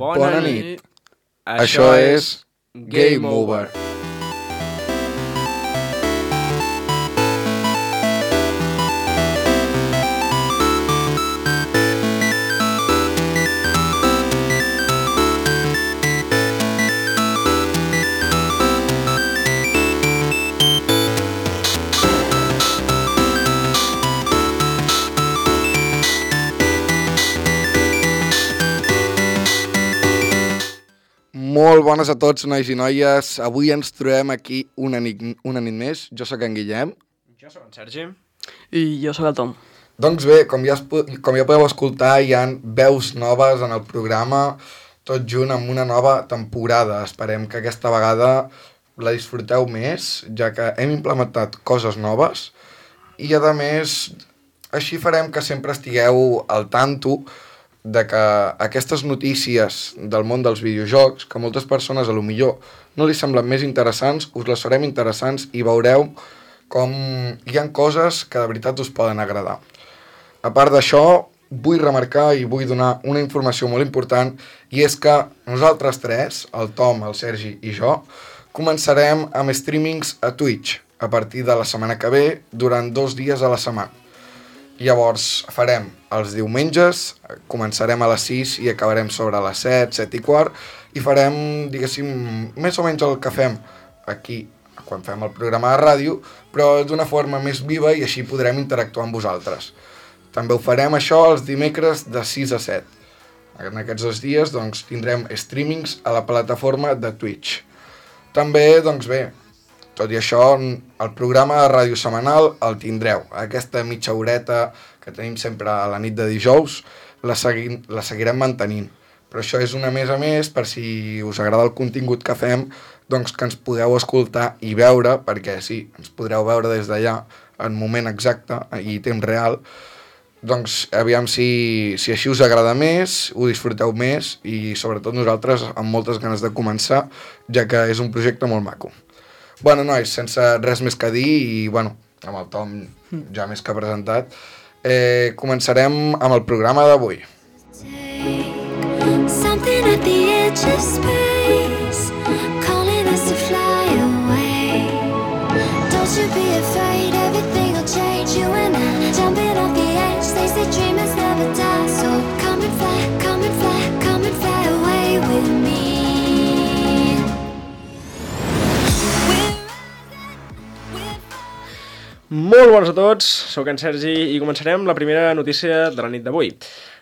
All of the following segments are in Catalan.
Bona nit. Això és Game Over. Molt bones a tots, nois i noies. Avui ens trobem aquí una nit més. Jo sóc en Guillem. Jo sóc en Sergi. I jo sóc el Tom. Doncs bé, com ja podeu escoltar, hi ha veus noves en el programa, tot junt amb una nova temporada. Esperem que aquesta vegada la disfruteu més, ja que hem implementat coses noves i, a més, així farem que sempre estigueu al tanto de que aquestes notícies del món dels videojocs, que moltes persones a lo millor no li semblen més interessants, us les farem interessants i veureu com hi ha coses que de veritat us poden agradar. A part d'això, vull remarcar i vull donar una informació molt important, i és que nosaltres tres, el Tom, el Sergi i jo, començarem amb streamings a Twitch a partir de la setmana que ve, durant 2 dies a la setmana. Llavors farem els diumenges, començarem a les 6 i acabarem sobre les 7, 7 i quart, i farem, diguéssim, més o menys el que fem aquí quan fem el programa de ràdio, però d'una forma més viva, i així podrem interactuar amb vosaltres. També ho farem això els dimecres de 6 a 7. En aquests 2 dies doncs, tindrem streamings a la plataforma de Twitch. També, doncs bé, tot i això, el programa de ràdio setmanal el tindreu. Aquesta mitja horeta que tenim sempre a la nit de dijous la seguirem mantenint. Però això és una més a més per si us agrada el contingut que fem, doncs que ens podeu escoltar i veure, perquè sí, ens podreu veure des d'allà en moment exacte i temps real. Doncs aviam si així us agrada més, ho disfruteu més i sobretot nosaltres amb moltes ganes de començar, ja que és un projecte molt maco. Bueno, nois, sense res més que dir i, bueno, amb el Tom ja més que presentat, començarem amb el programa d'avui. Something at the edge of space, calling us to fly away. Don't you be afraid, everything will change. You and I, jumping off the edge, they say dreamers never die. So come and fly, come and fly, come and fly away with me. Molt bones a tots, sóc en Sergi i començarem la primera notícia de la nit d'avui.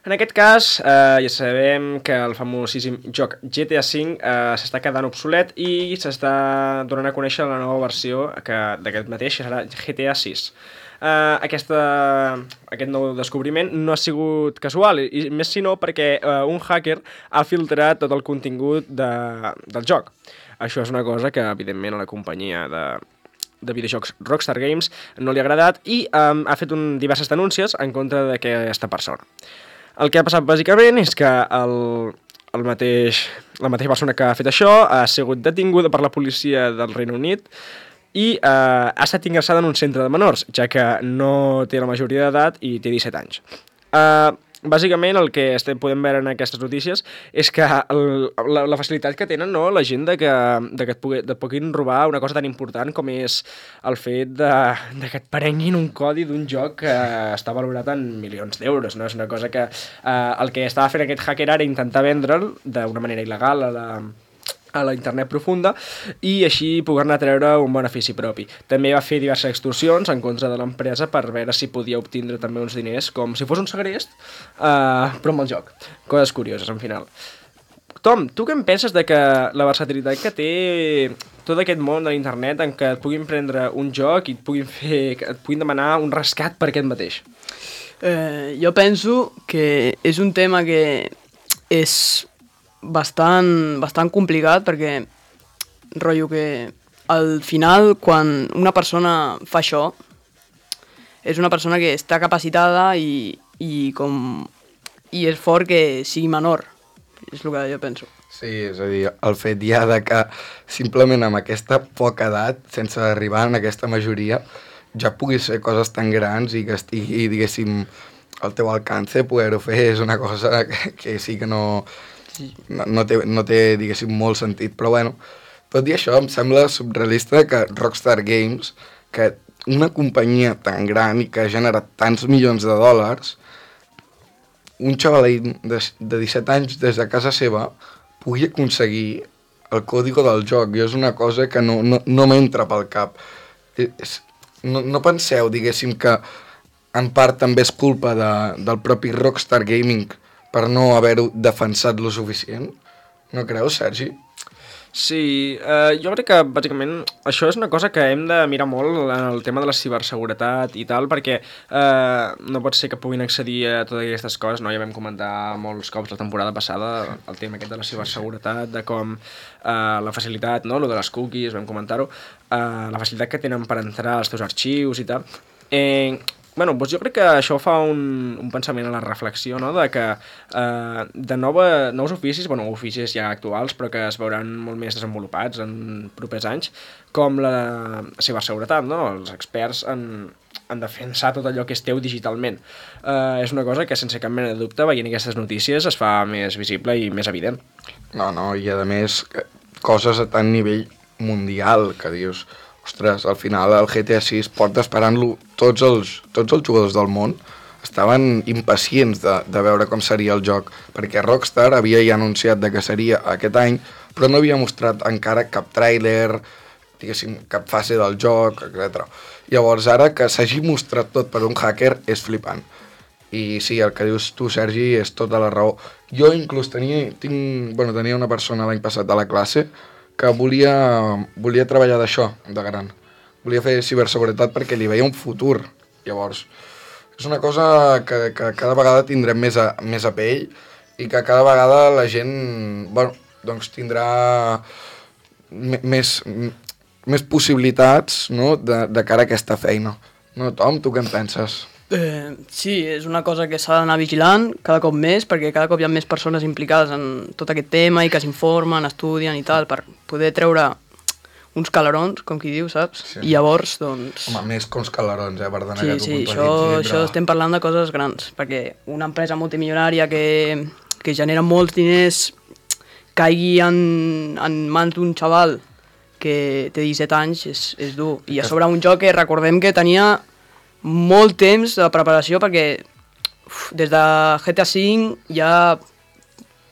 En aquest cas, ja sabem que el famosíssim joc GTA V s'està quedant obsolet i s'està donant a conèixer la nova versió d'aquest mateix, que serà GTA VI. Aquest nou descobriment no ha sigut casual, i més si no perquè un hacker ha filtrat tot el contingut del joc. Això és una cosa que, evidentment, a la companyia de videojocs Rockstar Games no li ha agradat i ha fet diverses denúncies en contra d'aquesta persona. El que ha passat bàsicament és que la mateixa persona que ha fet això ha sigut detinguda per la policia del Regne Unit i ha estat ingressada en un centre de menors, ja que no té la majoria d'edat i té 17 anys. Bàsicament el que podem veure en aquestes notícies és que la facilitat que tenen, no, la gent que et puguin robar una cosa tan important com és el fet que et prenguin un codi d'un joc que està valorat en milions d'euros, no? És una cosa que el que estava fent aquest hacker ara intentar vendre'l d'una manera il·legal a la internet profunda i així poder-ne treure un benefici propi. També va fer diverses extorsions en contra de l'empresa per veure si podia obtindre també uns diners com si fos un segrest, però amb el joc. Coses curioses, en final. Tom, tu què en penses de que la versatilitat que té tot aquest món de l'internet en què et puguin prendre un joc i et puguin demanar un rescat per aquest mateix? Jo penso que és un tema que és bastant complicat perquè rotllo que al final quan una persona fa això és una persona que està capacitada i és fort que sigui menor, és el que jo penso. Sí, és a dir, el fet ja de que simplement amb aquesta poca edat, sense arribar en aquesta majoria, ja puguis fer coses tan grans i que estigui, diguéssim, al teu alcance poder-ho fer és una cosa que sí que no Sí. no té, diguéssim, molt sentit, però bueno, tot i això em sembla surrealista que Rockstar Games, que una companyia tan gran i que ha generat tants milions de dòlars, un xavalín de 17 anys des de casa seva pugui aconseguir el còdigo del joc, i és una cosa que no m'entra pel cap. No penseu, diguéssim, que en part també és culpa del propi Rockstar Gaming per no haver-ho defensat lo suficient? No creus, Sergi? Sí, jo crec que bàsicament això és una cosa que hem de mirar molt en el tema de la ciberseguretat i tal, perquè no pot ser que puguin accedir a totes aquestes coses, no? Ja vam comentar molts cops la temporada passada el tema aquest de la ciberseguretat, de com la facilitat, no? Lo de les cookies, vam comentar-ho, la facilitat que tenen per entrar als teus arxius i tal. Bueno, doncs jo crec que això fa un pensament a la reflexió, no? De que de nous oficis, bueno, oficis ja actuals, però que es veuran molt més desenvolupats en propers anys, com la ciberseguretat, no? Els experts en defensar tot allò que és teu digitalment. És una cosa que, sense cap mena de dubte, veient aquestes notícies, es fa més visible i més evident. No, i a més, coses a tant nivell mundial que dius... Ostres, al final el GTA 6 porta esperant-lo tots els jugadors del món estaven impacients de veure com seria el joc, perquè Rockstar havia ja anunciat que seria aquest any, però no havia mostrat encara cap tràiler, diguéssim, cap fase del joc, etc. Llavors ara que s'hagi mostrat tot per un hacker és flipant. I sí, el que dius tu, Sergi, és tota la raó. Jo inclús tenia una persona l'any passat a la classe que volia treballar d'això, de gran. Volia fer ciberseguretat perquè li veia un futur. Llavors, és una cosa que cada vegada tindrem més a pell i que cada vegada la gent, bueno, doncs tindrà més possibilitats, no?, de cara a aquesta feina. No, Tom, tu què en penses? Sí, és una cosa que s'ha d'anar vigilant cada cop més, perquè cada cop hi ha més persones implicades en tot aquest tema i que s'informen, estudien i tal, per poder treure uns calarons, com qui diu, saps? Sí. I llavors, doncs... Home, més que uns calarons, perdona que t'ho puntualitzi. Sí, això estem parlant de coses grans, perquè una empresa multimilionària que genera molts diners caigui en mans d'un xaval que té 17 anys és dur. I a sobre un joc que recordem que tenia molt temps de preparació, perquè des de GTA V ja,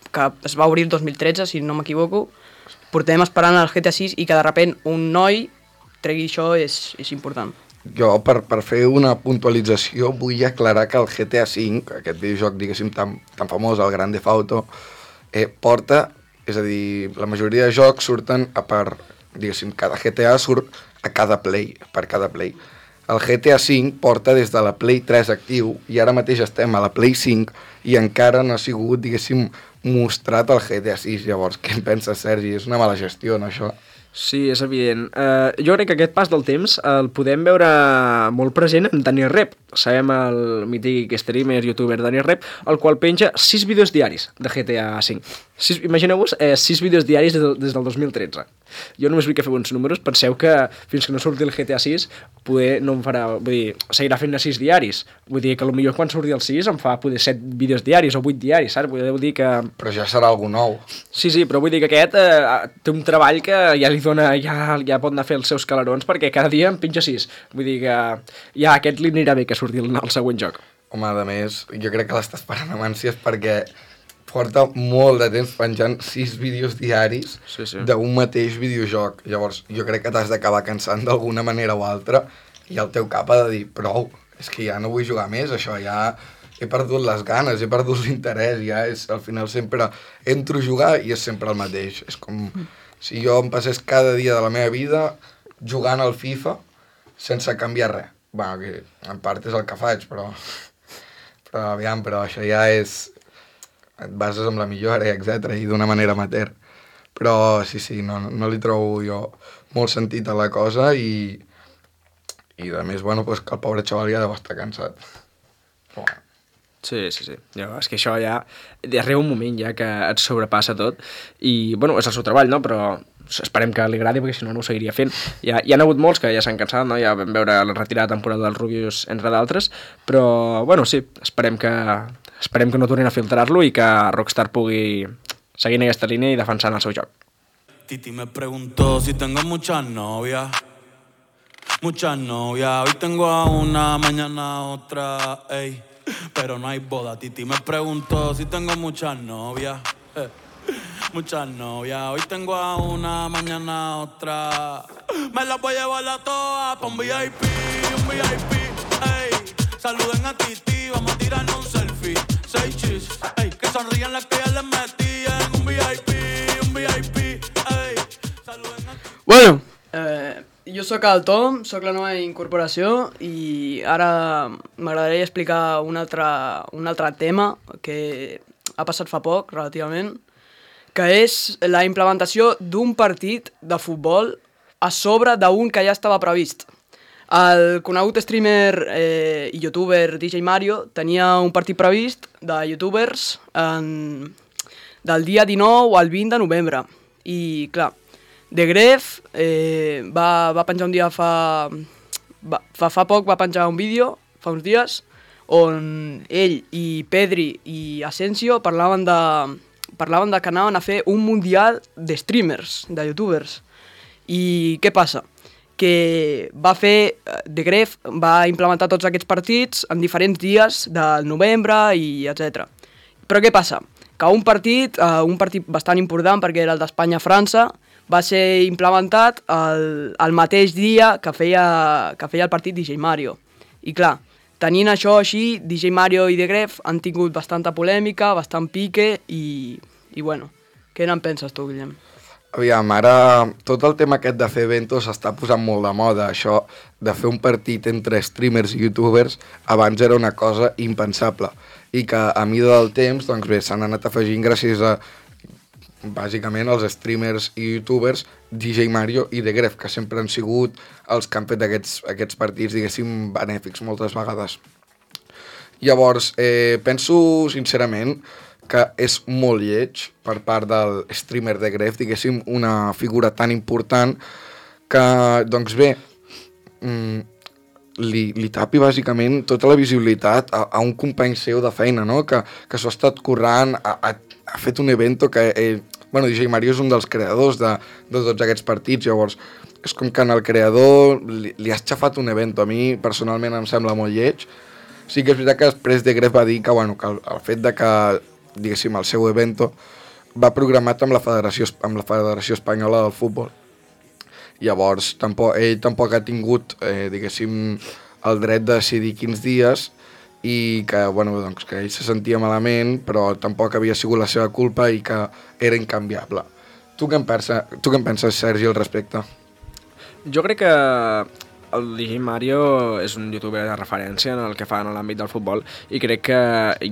que es va obrir el 2013, si no m'equivoco, portem esperant el GTA 6 i que de sobte un noi tregui això és important. Jo, per fer una puntualització, vull aclarar que el GTA V, aquest videojoc, diguéssim, tan famós, el Grand Theft Auto, porta, és a dir, la majoria de jocs surten diguéssim, cada GTA surt per cada Play. El GTA V porta des de la Play 3 actiu i ara mateix estem a la Play 5 i encara no ha sigut, diguéssim, mostrat el GTA 6. Llavors, què en penses, Sergi? És una mala gestió, no, això? Sí, és evident. Jo crec que aquest pas del temps el podem veure molt present en Daniel Rep. Sabem el mític streamer, youtuber Daniel Rep, el qual penja 6 vídeos diaris de GTA V. Imagineu-vos 6 vídeos diaris des del 2013. Jo només vull que feu uns números, penseu que fins que no surti el GTA 6 poder no em farà, vull dir, seguirà fent-ne 6 diaris. Vull dir que potser quan surti el 6 em fa poder 7 vídeos diaris o 8 diaris, saps? Vull dir que... Però ja serà algú nou. Sí, però vull dir que aquest té un treball que ja li dona, ja pot anar a fer els seus calarons, perquè cada dia em pinja 6. Vull dir que ja a aquest li anirà bé que surti el següent joc. Home, a més, jo crec que l'està esperant amb ànsies perquè porta molt de temps penjant 6 vídeos diaris d'un mateix videojoc. Llavors, jo crec que t'has d'acabar cansant d'alguna manera o altra i el teu cap ha de dir, prou, és que ja no vull jugar més, això ja he perdut les ganes, he perdut l'interès, ja és, al final sempre entro a jugar i és sempre el mateix. És com si jo em passés cada dia de la meva vida jugant al FIFA sense canviar res. Bueno, que en part és el que faig, però això ja és... et bases amb la millora, etc. i d'una manera amateur. Però sí, no li trobo jo molt sentit a la cosa i a més, bueno, pues que el pobre xaval ja deu estar cansat. Però... Sí. Ja, és que això ja arriba un moment ja que et sobrepassa tot i, bueno, és el seu treball, no? Però esperem que li agradi perquè si no ho seguiria fent. Hi ha hagut molts que ja s'han cansat, no? Ja vam veure la retirada temporada dels Rubius, entre d'altres, però, bueno, sí, esperem que no tornin a filtrar-lo i que Rockstar pugui seguint aquesta línia i defensant el seu joc. Titi me preguntó si tengo muchas novias. Hoy tengo a una, mañana a otra, ey. Pero no hay boda. Titi me preguntó si tengo muchas novias. Muchas novias. Hoy tengo a una, mañana a otra. Me las voy a llevar a todas pa' un VIP, ey. Saluden a Titi, vamos a tirarnos un selfie. 6 chis, ey. Que sonrían las que ya les metí en un VIP, ey. Saluden a Titi. Bueno, jo sóc el Tom, sóc la nova incorporació i ara m'agradaria explicar un altre tema que ha passat fa poc, relativament, que és la implementació d'un partit de futbol a sobre d'un que ja estava previst. El conegut streamer i youtuber DJ Mario tenia un partit previst de youtubers del dia 19 al 20 de novembre. I, clar, The Gref va penjar un dia fa poc, va penjar un vídeo, fa uns dies, on ell i Pedri i Asensio parlaven de que anaven a fer un mundial de streamers, de youtubers. I què passa? Que The Gref va implementar tots aquests partits en diferents dies del novembre i etc. Però què passa? Que un partit bastant important, perquè era el d'Espanya-França, va ser implementat el mateix dia que feia el partit DJ Mario. I clar, tenint això així, DJ Mario i The Gref han tingut bastanta polèmica, bastant pique i bueno, què n'en penses tu, Guillem? Aviam, ara tot el tema aquest de fer eventos s'està posant molt de moda. Això de fer un partit entre streamers i youtubers abans era una cosa impensable i que a mida del temps, doncs bé, s'han anat afegint gràcies a bàsicament els streamers i youtubers DJ Mario i The Gref, que sempre han sigut els que han fet aquests partits, diguéssim, benèfics moltes vegades. Llavors, penso sincerament que és molt lleig per part del streamer The Gref, diguéssim, una figura tan important que, doncs bé, li tapi bàsicament tota la visibilitat a un company seu de feina, no? Que s'ho ha estat currant, ha fet un evento que... DJ Mario és un dels creadors de tots aquests partits, llavors és com que el creador li has xafat un evento. A mi personalment em sembla molt lleig. Sí que és veritat que després The Gref va dir que el fet de que, diguéssim, el seu evento va programat amb la Federació Espanyola del Futbol. Llavors ell tampoc ha tingut, diguéssim, el dret de decidir quins dies i que ell se sentia malament, però tampoc havia sigut la seva culpa i que era incanviable. Tu què en penses, Sergi, al respecte? Jo crec que el DJ Mario és un youtuber de referència en el que fa en l'àmbit del futbol i crec que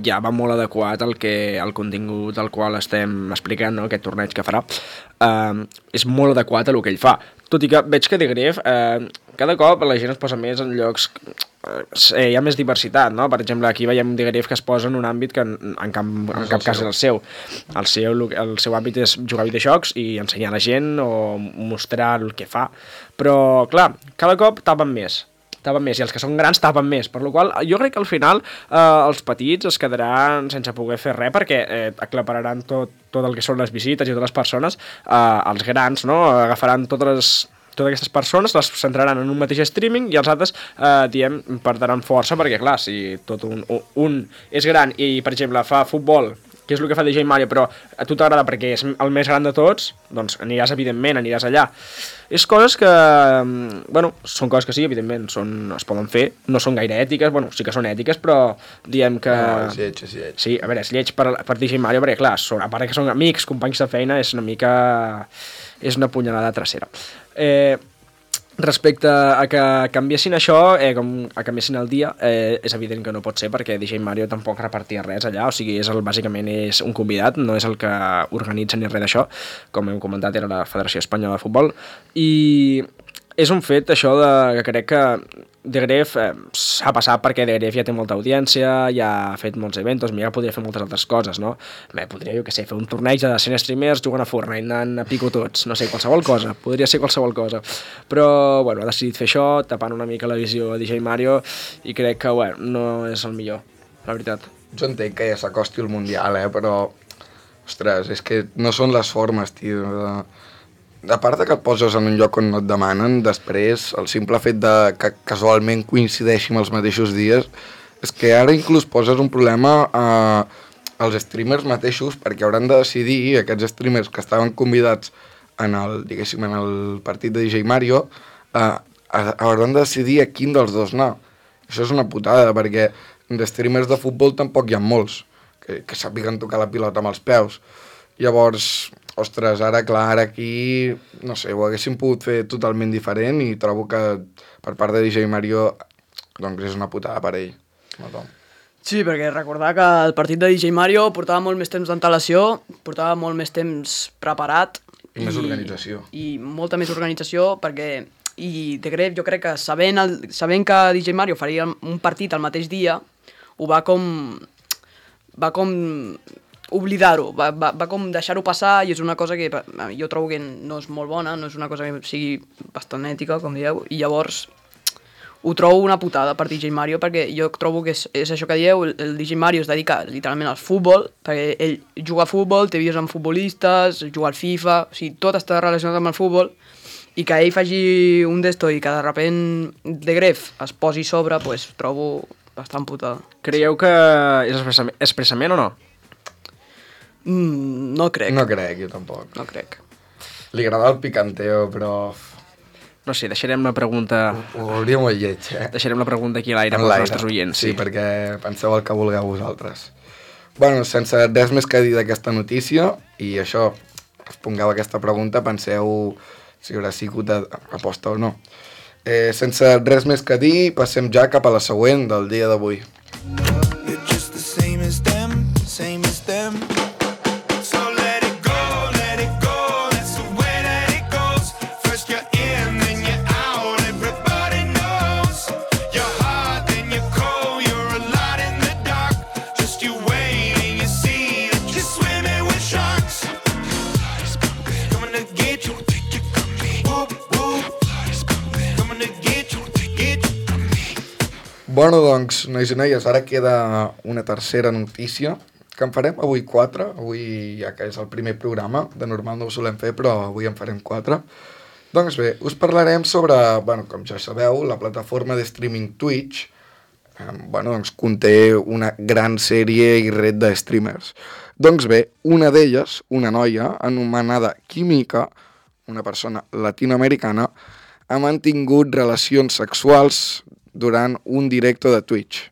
ja va molt adequat al contingut al qual estem explicant, no? Aquest torneig que farà. És molt adequat a el que ell fa. Tot i que veig que The Gref cada cop la gent es posa més en llocs... hi ha més diversitat, no? Per exemple, aquí veiem The Gref que es posa en un àmbit que en cap cas és el seu. El seu àmbit és jugar a videojocs i ensenyar a la gent o mostrar el que fa. Però, clar, cada cop tapen més, i els que són grans tapen més, per la qual jo crec que al final els petits es quedaran sense poder fer res perquè aclapararan tot el que són les visites i totes les persones, els grans, no? Agafaran totes aquestes persones, les centraran en un mateix streaming i els altres, perdran força perquè, clar, si tot un és gran i, per exemple, fa futbol, que és el que fa DJ Mario, però a tu t'agrada perquè és el més gran de tots, doncs aniràs allà. És coses que, són coses que sí, evidentment, es poden fer, no són gaire ètiques, sí que són ètiques, però diem que... No, és lleig. Sí, a veure, és lleig per DJ Mario, perquè clar, a part que són amics, companys de feina, és una mica... és una punyalada trasera. Respecte a que canviessin això, a canviessin el dia, és evident que no pot ser perquè DJ Mario tampoc repartia res allà, o sigui, bàsicament és un convidat, no és el que organitza ni res d'això, com hem comentat era la Federació Espanyola de Futbol, i és un fet això que crec que The Gref s'ha passat perquè The Gref ja té molta audiència, ja ha fet molts eventos, ja podria fer moltes altres coses, no? Podria, jo què sé, fer un torneig de 100 streamers jugant a Fortnite, anant a pico tots, no sé, qualsevol cosa, podria ser qualsevol cosa. Però, ha decidit fer això, tapant una mica la visió a DJ Mario, i crec que, no és el millor, la veritat. Jo entenc que ja s'acosti el Mundial, però Ostres, és que no són les formes, tio. A part de que et poses en un lloc on no et demanen, després el simple fet de que casualment coincideixin els mateixos dies, és que ara inclús poses un problema als streamers mateixos, perquè hauran de decidir, aquests streamers que estaven convidats en el, diguéssim, en el partit de DJ Mario, hauran de decidir a quin dels dos anar. Això és una putada, perquè de streamers de futbol tampoc hi ha molts que sàpiguen tocar la pilota amb els peus. Llavors, ostres, ara clar, ara aquí, no sé, ho haguéssim pogut fer totalment diferent i trobo que per part de DJ Mario doncs és una putada per ell. No, sí, perquè recordar que el partit de DJ Mario portava molt més temps d'antelació, portava molt més temps preparat. I més organització. I molta més organització, perquè i de Gref jo crec que sabent que DJ Mario faria un partit el mateix dia, ho va com oblidar-ho, va com deixar-ho passar, i és una cosa que jo trobo que no és molt bona, no és una cosa que sigui bastant ètica, com dieu, i llavors ho trobo una putada per DJ Mario, perquè jo trobo que és això que dieu, el DJ Mario es dedica literalment al futbol, perquè ell juga a futbol, té vídeos amb futbolistes, juga al FIFA, o sigui, tot està relacionat amb el futbol, i que ell faci un d'esto i que de repent de Gref es posi sobre, pues trobo bastant putada. Creieu que és expressament o no? No crec. No crec, jo tampoc. No crec. Li agrada el picanteo, però... No sé, deixarem la pregunta... Ho hauria molt lleig, Deixarem la pregunta aquí a l'aire pels nostres oients. Sí, perquè penseu el que vulgueu vosaltres. Bueno, sense res més que dir d'aquesta notícia, i això, respongueu aquesta pregunta, penseu si haurà sigut aposta o no. Sense res més que dir, passem ja cap a la següent del dia d'avui. Bueno, doncs, nois i noies, ara queda una tercera notícia, que en farem avui 4, avui ja que és el primer programa, de normal no ho solem fer, però avui en farem 4. Doncs bé, us parlarem sobre, bueno, com ja sabeu, la plataforma de streaming Twitch, doncs conté una gran sèrie i red de streamers. Doncs bé, una d'elles, una noia anomenada Química, una persona latinoamericana, ha mantingut relacions sexuals durant un directe de Twitch,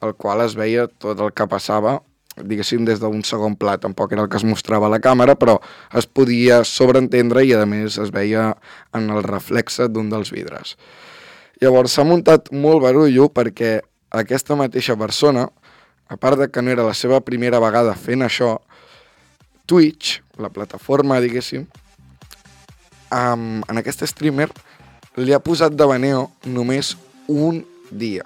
el qual es veia tot el que passava, diguéssim, des d'un segon pla. Tampoc era el que es mostrava a la càmera, però es podia sobreentendre i, a més, es veia en el reflexe d'un dels vidres. Llavors, s'ha muntat molt barullo perquè aquesta mateixa persona, a part de que no era la seva primera vegada fent això, Twitch, la plataforma, diguéssim, en aquest streamer li ha posat de baneo només un dia.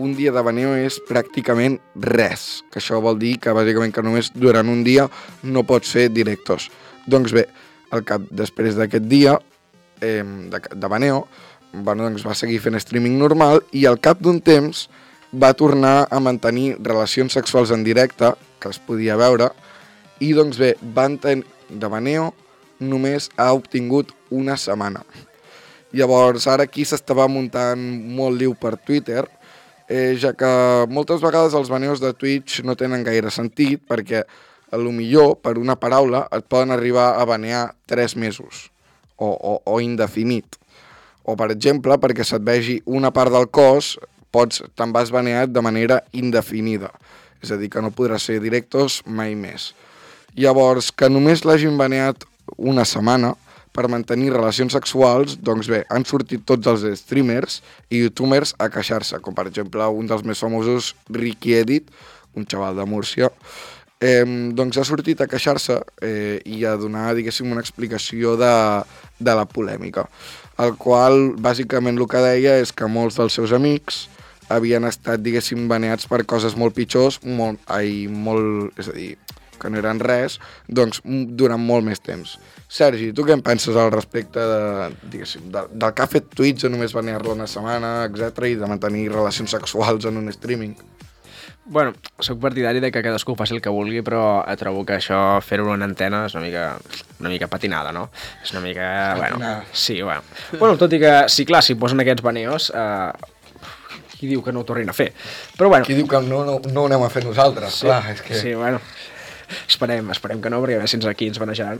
Un dia de baneo és pràcticament res, que això vol dir que bàsicament que només durant un dia no pots fer directos. Doncs bé, després d'aquest dia de baneo, doncs va seguir fent streaming normal i al cap d'un temps va tornar a mantenir relacions sexuals en directe, que es podia veure, i doncs bé, de baneo només ha obtingut una setmana. Llavors, ara aquí s'estava muntant molt liu per Twitter, ja que moltes vegades els baneos de Twitch no tenen gaire sentit, perquè potser per una paraula et poden arribar a banear 3 mesos, o indefinit. O, per exemple, perquè se't vegi una part del cos, te'n vas baneat de manera indefinida. És a dir, que no podràs ser directos mai més. Llavors, que només l'hagin baneat una setmana per mantenir relacions sexuals, doncs bé, han sortit tots els streamers i youtubers a queixar-se, com per exemple un dels més famosos, Ricky Edit, un xaval de Múrcia, doncs ha sortit a queixar-se i a donar, diguéssim, una explicació de la polèmica, el qual bàsicament el que deia és que molts dels seus amics havien estat, diguéssim, baneats per coses molt pitjors, és a dir, que no eren res, doncs durant molt més temps. Sergi, tu què en penses al respecte del que ha fet Twitch de només banear-lo una setmana, etc., i de mantenir relacions sexuals en un streaming? Bueno, soc partidari de que cadascú faci el que vulgui, però trobo que això, fer-ho en antena, és una mica patinada, no? És una mica... Patinada. Bueno, sí, bueno. Bueno, tot i que, sí, clar, si posen aquests baneos, qui diu que no ho tornin a fer? Però bueno... Qui diu que no ho anem a fer nosaltres? Sí, clar, és que... sí, bueno... Esperem que no, perquè a veure si aquí ens banejaran.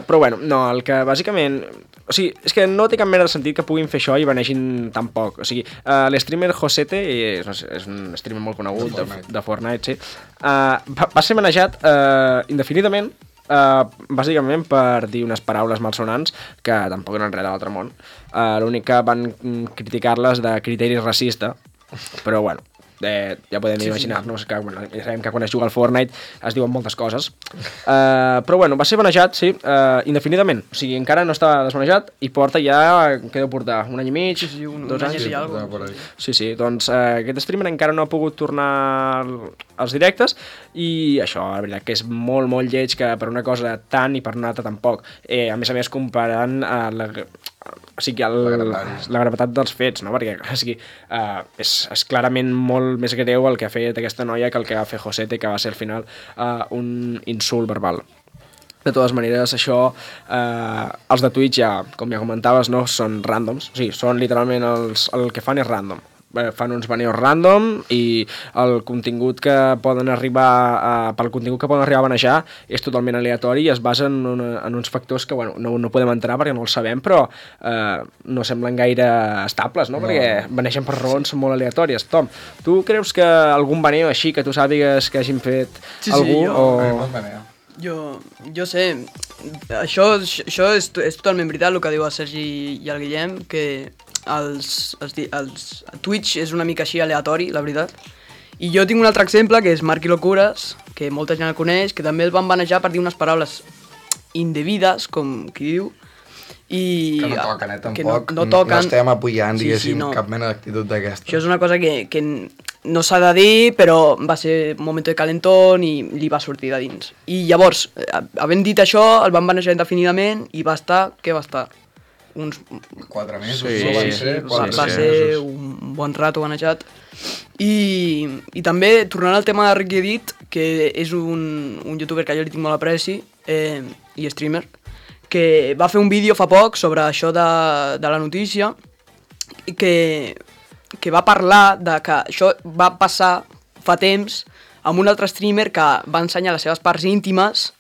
Però bueno, no, el que bàsicament... O sigui, és que no té cap mena de sentit que puguin fer això i banegin tan poc. O sigui, l'streamer Josete, és un streamer molt conegut de Fortnite, sí, va ser banejat indefinidament, bàsicament per dir unes paraules malsonants que tampoc eren res de l'altre món. L'únic que van criticar-les de criteri racista, però bueno, ja podem imaginar-nos que, bueno, ja sabem que quan es juga al Fortnite es diuen moltes coses. Però bueno, va ser banejat, sí, indefinidament. O sigui, encara no està desbanejat i porta ja, què deu portar? Un any i mig? Sí, un 2 anys? any i alguna cosa. Sí, doncs aquest streamer encara no ha pogut tornar als directes i això, la veritat que és molt, molt lleig que per una cosa tant i per una altra tampoc. A més, comparant la gravetat dels fets, no? Perquè o sigui, és clarament molt més greu el que ha fet aquesta noia que el que va fer Josete, que va ser al final un insult verbal. De totes maneres, això, els de Twitch, com ja comentaves, no són randoms, o sigui, són literalment el que fan és random. Fan uns baneos random i el contingut que poden arribar pel contingut que poden arribar a banejar és totalment aleatori i es basa en uns factors que bueno, no podem entrar perquè no els sabem, però no semblen gaire estables, no? Perquè banegen per raons molt aleatòries. Tom, tu creus que algun baneo així que tu sàpigues que hagin fet algú? Jo sé, això és totalment veritat el que diu el Sergi i el Guillem, que Twitch és una mica així aleatori, la veritat. I jo tinc un altre exemple, que és Marky Locures, que molta gent el coneix, que també el van banejar per dir unes paraules indevides, com qui diu, i que no toquen, tampoc. Que no toquen. No estem apoyant, diguéssim, cap mena d'actitud d'aquesta. Això és una cosa que no s'ha de dir, però va ser un moment de calentón i li va sortir de dins. I llavors, havent dit això, el van banejar indefinidament i va estar, què va estar? Uns 4 mesos, va ser un bon rato banejat. I també, tornant al tema de Ricky Edit, que és un youtuber que jo li tinc molt apreci, i streamer, que va fer un vídeo fa poc sobre això de la notícia, que va parlar de que això va passar fa temps amb un altre streamer que va ensenyar les seves parts íntimes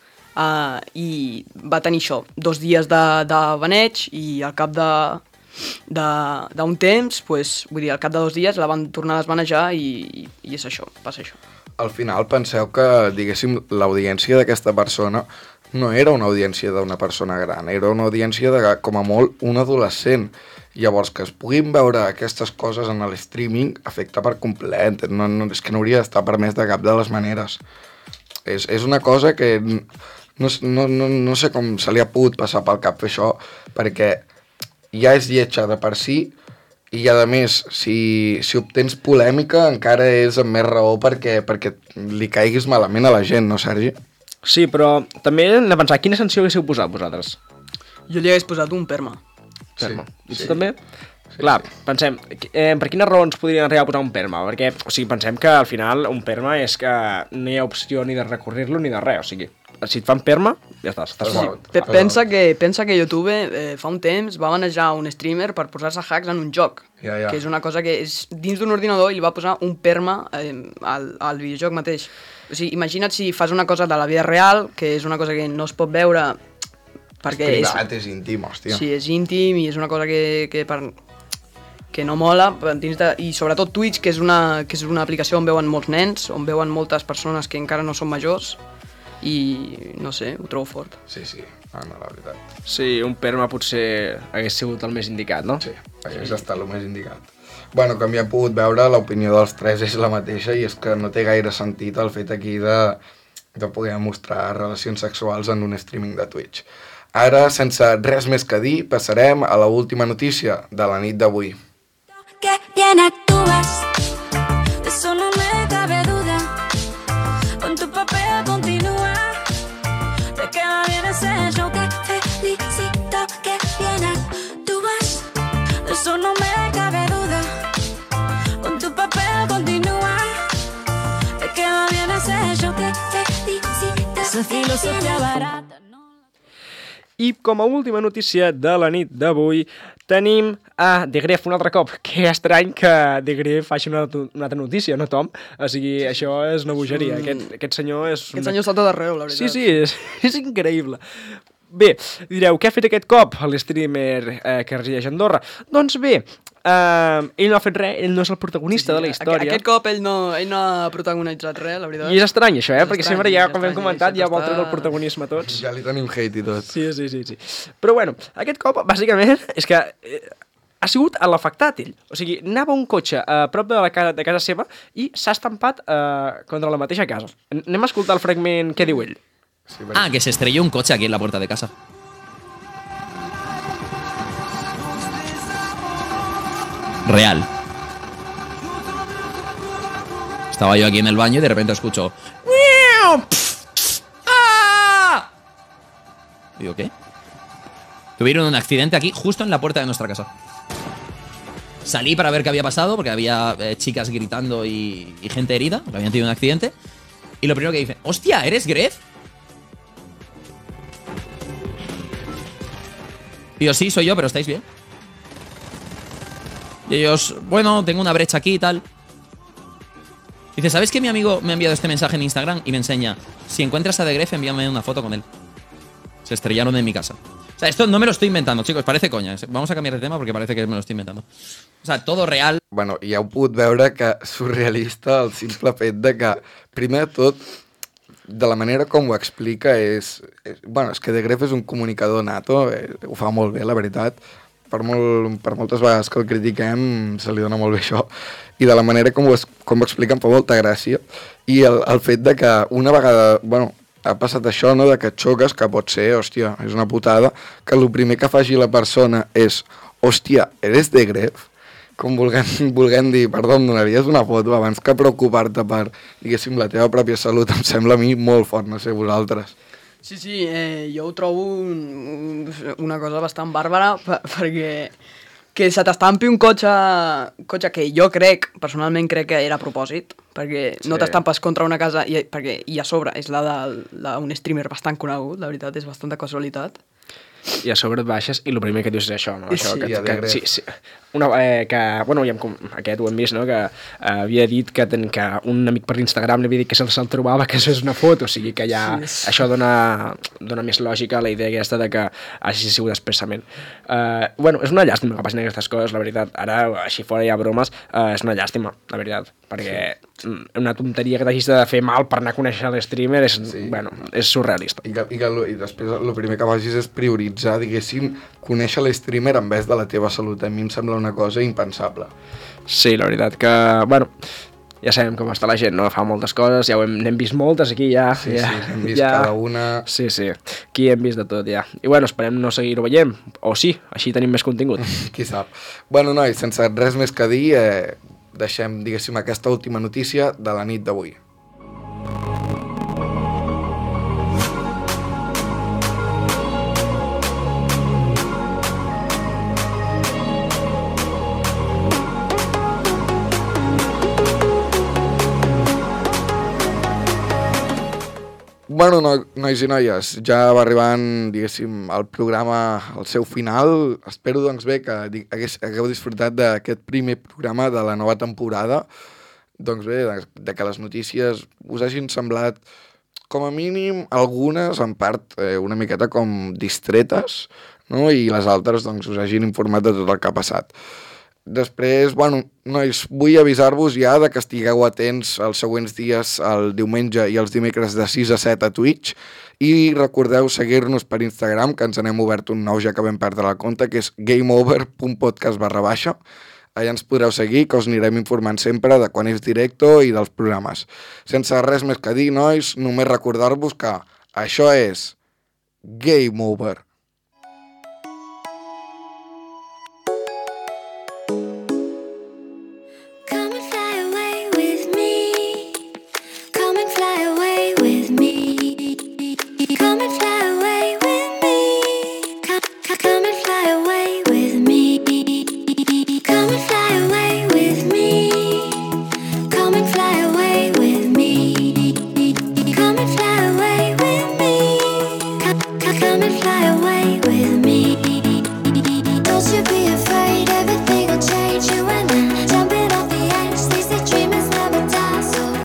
i va tenir això, 2 dies de baneig i al cap d'un temps, vull dir, al cap de 2 dies la van tornar a desbanejar i és això, passa això. Al final penseu que, diguéssim, l'audiència d'aquesta persona no era una audiència d'una persona gran, era una audiència de, com a molt, un adolescent. Llavors, que es puguin veure aquestes coses en el streaming afecta per complet, és que no hauria d'estar permès de cap de les maneres. És una cosa que no sé com se li ha pogut passar pel cap fer això, perquè ja és lletja de per si, i a més, si obtens polèmica encara és amb més raó perquè li caiguis malament a la gent, no, Sergi? Sí, però també hem de pensar, quina sanció haguéssiu posat vosaltres? Jo li hagués posat un perma. Perma. I tu també? Sí, clar, pensem, per quines raons podrien arribar a posar un perma? Perquè, o sigui, pensem que al final un perma és que no hi ha opció ni de recurrir-lo ni de res, o sigui, si et fan perma, ja estàs fort. Pensa que YouTube fa un temps va manejar un streamer per posar-se hacks en un joc, que és una cosa que és dins d'un ordinador i li va posar un perma al videojoc mateix. O sigui, imagina't si fas una cosa de la vida real, que és una cosa que no es pot veure perquè és privat, és íntim, hòstia. Sí, és íntim i és una cosa que no mola, i sobretot Twitch, que és una aplicació on veuen molts nens, on veuen moltes persones que encara no són majors, i no sé, ho trobo fort. Sí, la veritat. Sí, un perma potser hagués sigut el més indicat, no? Sí, hagués estat el més indicat. Bueno, com ja hem pogut veure, l'opinió dels 3 és la mateixa i és que no té gaire sentit el fet aquí de poder mostrar relacions sexuals en un streaming de Twitch. Ara, sense res més que dir, passarem a l'última notícia de la nit d'avui. Que bien actúas, de eso no me cabe duda. Con tu papel continúa, te queda bien ese show. Que felicito, que bien actúas, de eso no me cabe duda. Con tu papel continúa, se te abarata. I com a última notícia de la nit d'avui tenim a De Gref un altre cop. Que estrany que De Gref faci una altra notícia, no, Tom? O sigui, això és una bogeria. Aquest senyor és... Aquest senyor està tot arreu, la veritat. Sí, és increïble. Bé, direu, què ha fet aquest cop l'streamer que resideix a Andorra? Doncs bé, ell no ha fet res, ell no és el protagonista de la història. Aquest cop ell no ha protagonitzat res, la veritat. I és estrany això, perquè estrany, sempre ja, és com hem estrany, comentat, ja vol està- treure el protagonisme a tots. Ja li tenim hate i tot. Sí. Però bueno, aquest cop, bàsicament, és que ha sigut l'afectat ell. O sigui, anava un cotxe a prop de casa seva i s'ha estampat contra la mateixa casa. Anem a escoltar el fragment que diu ell. Sí, Ah, que se estrelló un coche aquí en la puerta de casa. Real. Estaba yo aquí en el baño y de repente escucho... ¡Ah! Digo, ¿qué? Tuvieron un accidente aquí, justo en la puerta de nuestra casa. Salí para ver qué había pasado, porque había chicas gritando y gente herida, porque habían tenido un accidente. Y lo primero que dicen, ¡hostia, eres Gref! Digo, sí, soy yo, pero ¿estáis bien? Y ellos, bueno, tengo una brecha aquí y tal. Dice, ¿sabes que mi amigo me ha enviado este mensaje en Instagram? Y me enseña, si encuentras a The Gref, envíame una foto con él. Se estrellaron en mi casa. O sea, esto no me lo estoy inventando, chicos, parece coña. Vamos a cambiar de tema porque parece que me lo estoy inventando. O sea, todo real. Bueno, ja heu pogut veure que surrealista el simple fet de que, primer de tot, de la manera com ho explica és que De Gref és un comunicador nato, ho fa molt bé, la veritat. Per moltes vegades que el critiquem se li dona molt bé això. I de la manera com ho explica em fa molta gràcia. I el fet de que una vegada, ha passat això, no?, de que et xoques, que pot ser, hòstia, és una putada, que el primer que faci la persona és, hòstia, eres De Gref? Com volent dir, perdó, em donaries una foto abans que preocupar-te per, diguéssim, la teva pròpia salut, em sembla a mi molt fort, no sé, vosaltres. Sí, jo ho trobo una cosa bastant bàrbara perquè que se t'estampi un cotxe que jo personalment crec que era a propòsit, perquè no t'estampes contra una casa i a sobre és la d'un streamer bastant conegut, la veritat, és bastanta casualitat. I a sobre et baixes i el primer que dius és això, no? Això, Sí, sí. Aquest ho hem vist, no?, que havia dit que un amic per Instagram li havia dit que se'l trobava, que això és una foto, o sigui que ja això dona més lògica a la idea aquesta de que hagi sigut expressament. És una llàstima que passin aquestes coses, la veritat. Ara, així fora hi ha bromes, és una llàstima, la veritat, perquè una tonteria que t'hagis de fer mal per anar a conèixer l'streamer és surrealista. I després el primer que facis és prioritzar, diguéssim, conèixer l'streamer en vez de la teva salut. A mi em sembla una cosa impensable. Sí, la veritat que, ja sabem com està la gent, no? Fa moltes coses, ja n'hem vist moltes aquí, ja. Sí, hem vist cada una. Sí, aquí hem vist de tot, ja. I esperem no seguir-ho veient, o sí, així tenim més contingut. Qui sap. Nois, sense res més que dir, deixem, diguéssim, aquesta última notícia de la nit d'avui. Nois i noies, ja va arribant, diguéssim, el programa al seu final. Espero, doncs bé, que hagueu disfrutat d'aquest primer programa de la nova temporada. Doncs bé, de que les notícies us hagin semblat, com a mínim, algunes, en part, una miqueta com distretes, no?, i les altres, doncs, us hagin informat de tot el que ha passat. Després, nois, vull avisar-vos ja de que estigueu atents els següents dies, el diumenge i els dimecres de 6 a 7 a Twitch, i recordeu seguir-nos per Instagram, que ens n'hem obert un nou ja que vam perdre la compte, que és gameover.podcast/. Allà ens podreu seguir, que us anirem informant sempre de quan és directo i dels programes. Sense res més que dir, nois, només recordar-vos que això és Game Over. Come and fly away with me. fly away with me.